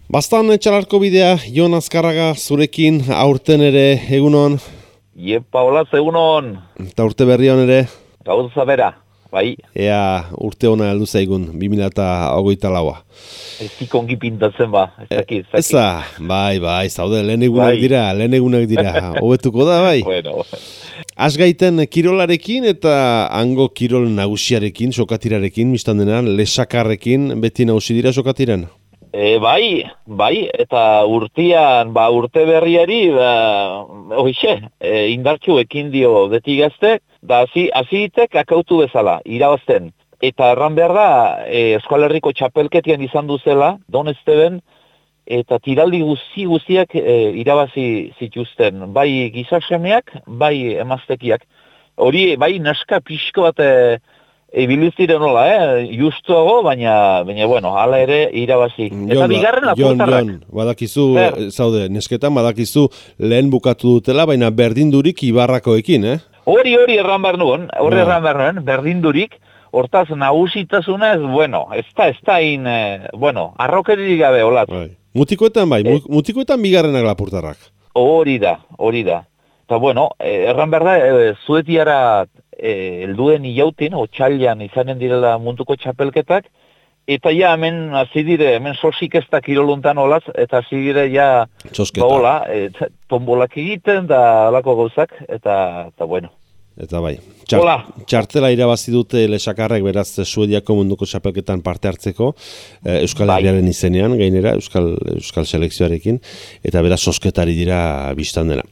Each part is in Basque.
Bastan etxalarko bidea, Jon Azkarraga zurekin aurten ere egunon. Iepa, olaz egunon. Eta urte berri hon ere. Gauza bera, bai. Ea urte hona heldu zaigun, 2024a. Ez ongi pintatzen ba, ez dakit. Eza, bai, zaude, lehen egunak dira, hobetuko da, bai. Bueno. Asgaiten kirolarekin eta hango kirol nagusiarekin, sokatirarekin, biztan dena, lesakarrekin, beti nagusi dira sokatiran? Bai, eta urtean, urte berriari, indartxu ekin dio beti gaztek, da hasitek akautu bezala, irabazten. Eta erran behar da, Euskal Herriko txapelketian izan duzela, Don Esteben, eta tiraldi guztiak irabazi zituzten, bai gizasemeak, bai emaztekiak. Hori, bai neska pixko bat ibiliztiren nola, justuago, baina bueno, hala ere irabazi. Eta bigarren lapurtarrak. Jon, badakizu, zaude, nesketan badakizu lehen bukatu dutela, baina berdindurik Ibarrakoekin, Hori erran behar nuen, berdindurik. Hortaz, nagusitasunez, ez da arrokeririk gabe, olat. Mutikoetan mutikoetan bigarrenak lapurtarrak. Hori da. Eta, erran behar da, Zuetiara helduen ilautin, otxailan izanen direla munduko txapelketak, eta ja, hemen sosik ez da kiroluntan olaz, eta hasi dire ja, tombolak egiten, da alako gauzak, eta bueno. Eta bai, txartela irabazi dute lesakarrek beraz Suediako munduko txapelketan parte hartzeko, Euskal Herriaren izenean, gainera, Euskal selekzioarekin, eta beraz sosketari dira biztan dela.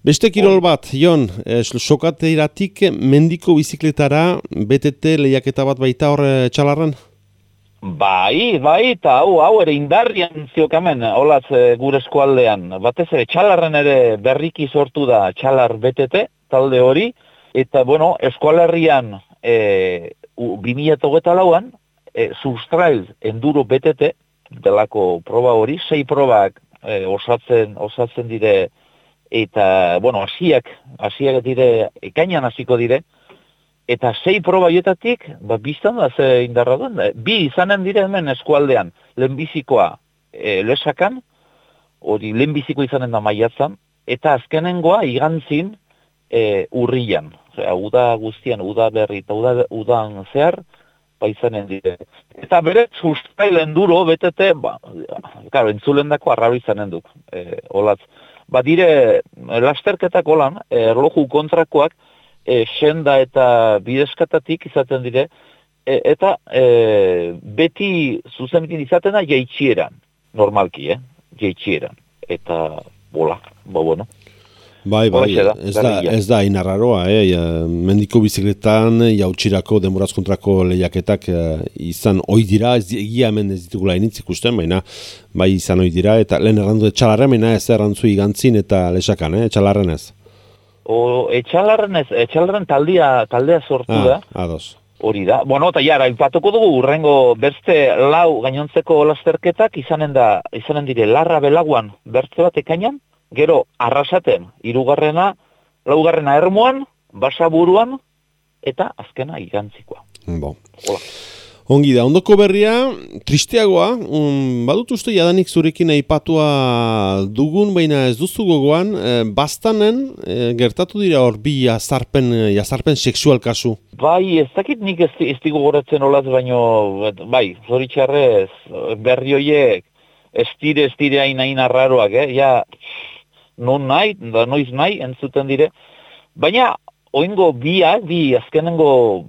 Beste kirol bat, Jon, sokateiratik mendiko bizikletara BTT lehiaketa bat baita hor Txalarren? Bai, eta hau ere indarrian ziokamen, olaz gure eskualdean. Batez ere, Txalarren ere berriki sortu da Txalar BTT, talde hori, eta, Euskal Herrian 2024an, Sustrail Enduro BTT, delako proba hori, 6 probak osatzen dire, eta, hasiak dire, ekainan hasiko dire, eta 6 proba joetatik, biztan da ze indarra duen, bi izanen dire hemen eskualdean, lehenbizikoa lesakan, hori lehenbiziko izanen da maiatzan, eta azkenengoa igantzin urrian. Uda guztian, uda berri eta udan zehar, izanen dire. Eta bere, Sustrail Enduro, BTT, entzulen dako arraro izanen duk, olatz. Dire, lasterketak olan, erloju kontrakoak, senda eta bideskatatik izaten dire, eta beti zuzenbitin izaten da jaitxieran, normalki, jaitxieran. Eta, bueno. Bai, ez da inarraroa, mendiko bizikletan, jautxirako, denboraz kontrako lehiaketak izan ohi dira, egia hemen ez ditugula initzik ikusten, baina bai izan ohi dira, eta lehen errandu Txalarren, baina ez errantzu igantzin eta lesakan, Txalarren ez? Txalarren taldea sortu da. Ados. Hori da. Eta jara, ipatuko dugu, urrengo beste lau gainontzeko lasterketak izanen dire Larra Belaguan bertze bat ekainan, gero Arrasaten 3., 4. Ermuan, Basaburuan, eta azkena igantzikoa. Ongi da, ondoko berria, tristeagoa, badut uste jadanik zurekin aipatua dugun, baina ez duzu gogoan, Bastanen gertatu dira hor bi jazarpen sexual kasu. Bai, ez dakit nik ez digo goratzen olaz, baino, zoritxarrez, berri horiek, ez dire hain arraroak, non nahi, da noiz nahi, entzuten dire. Baina, oingo bi azkenengo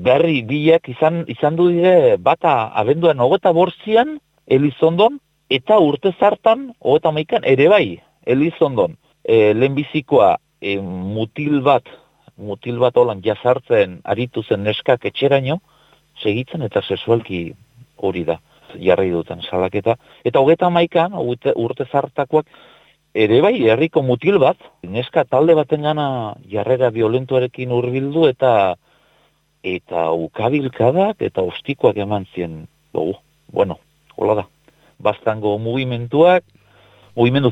berri biak izan du dire, bata abenduan 25an, Elizondon, eta urte zartan, 31an, ere bai, Elizondon, lehenbizikoa mutil bat holan jazartzen aritu zen neskak etxeraino, segitzen eta sexualki hori da, jarri duten salaketa. Eta 31an, urte zartakoak, ere bai, herriko mutil bat, neska talde baten gana jarrera violentuarekin hurbildu eta ukabilkadak eta ostikoak eman zien dugu. Hola da. Bastango mugimendu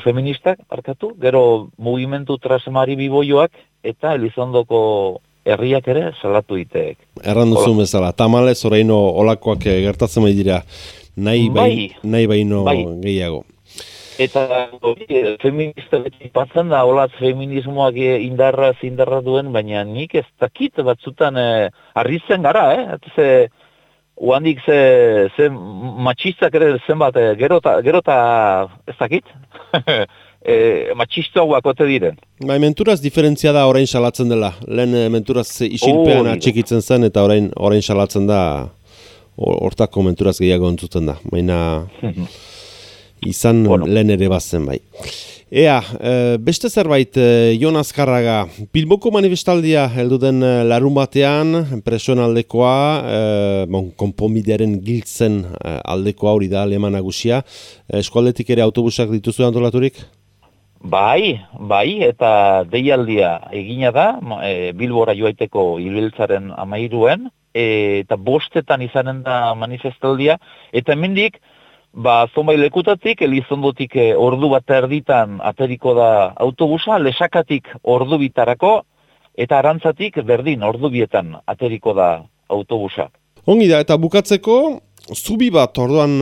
feministak, gero mugimendu trasemari biboioak eta Elizondoko herriak ere salatu diteek. Erran duzu bezala, tamalez oraino olakoak gertatzen bai dira. nahi baino gehiago. Eta feminista beti patzen da, olaz feminismoak indarra duen, baina nik ez dakit batzutan arritzen gara, Oandik ze matxistak ere zenbat, gerota ez dakit, matxistoak ote diren. Menturaz diferentzia da orain salatzen dela. Lehen menturaz isilpean atxikitzen zen eta orain salatzen da hortako menturaz gehiago entzuten da. Baina izan lehen ere bazen bai. Ea, beste zerbait, Jon Azkarraga, Bilboko manifestaldia heldu den larun batean, presoen aldekoa, konponbidearen giltzen aldekoa hori da aleman nagusia. Eskualdetik ere autobusak dituzu antolaturik? Bai, eta deialdia egina da, Bilbora joaiteko ibiltzaren 13, eta 5 izanen da manifestaldia, eta hemendik, zonbait lekutatik, Elizondotik ordu bat erditan ateriko da autobusa, Lesakatik ordu bitarako, eta Arantzatik berdin ordu bietan ateriko da autobusa. Ongi da, eta bukatzeko, zubi bat, orduan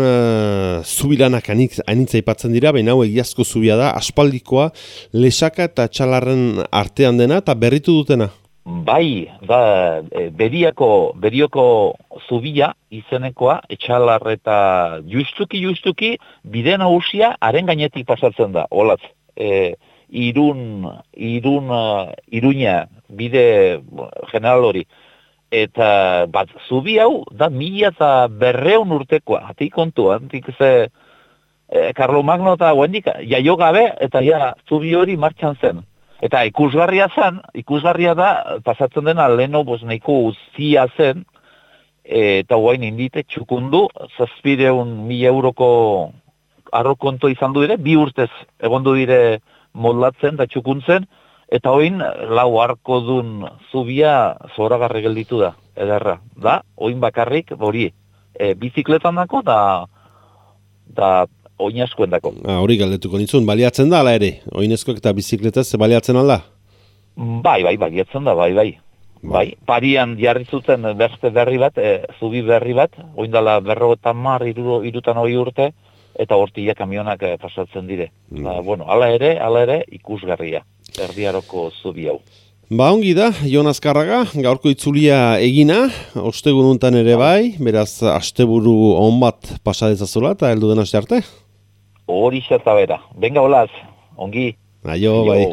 zubilanak anitza ipatzen dira, baina hau egiazko zubia da, aspaldikoa, Lesaka eta Txalarren artean dena, eta berritu dutena. Bai, da, berioko zubia izenekoa, Etxalar eta justuki, bide nagusia haren gainetik pasatzen da, olatz. Iruña, bide general hori. Eta zubi hau, da 1200 urtekoa, hatik kontu, hatik ze Karlomagno eta guendik, jaio gabe, eta zubi hori martxan zen. Eta ikusgarria da, pasatzen dena leno nahiko uzia zen, eta guain indite txukundu, 700.000 euroko arrokonto izan du dire, 2 urtez egondu dire moldatzen eta txukuntzen, eta oin lau arko dun zubia zoragarri gelditu da, ederra. Da, oin bakarrik, hori, bizikletan dako, da oinazkoen dako. Hori galdetuko nintzun, baliatzen da, ala ere? Oinezkoek eta bizikletaz baliatzen alda? Bai, baliatzen da, bai. Parian jarri zuten beste berri bat, zubi berri bat, oindala 50-60 urte, eta hortia kamionak pasatzen dire. Hala ere, ikusgarria, erdiaroko zubi hau. Ongi da, Jon Azkarraga, gaurko itzulia egina, ostegun untan ere bai, beraz, asteburu on bat pasadezazola eta heldu den aste arte? Hori zerta bera. Benga, olaz, ongi. Aio, bai.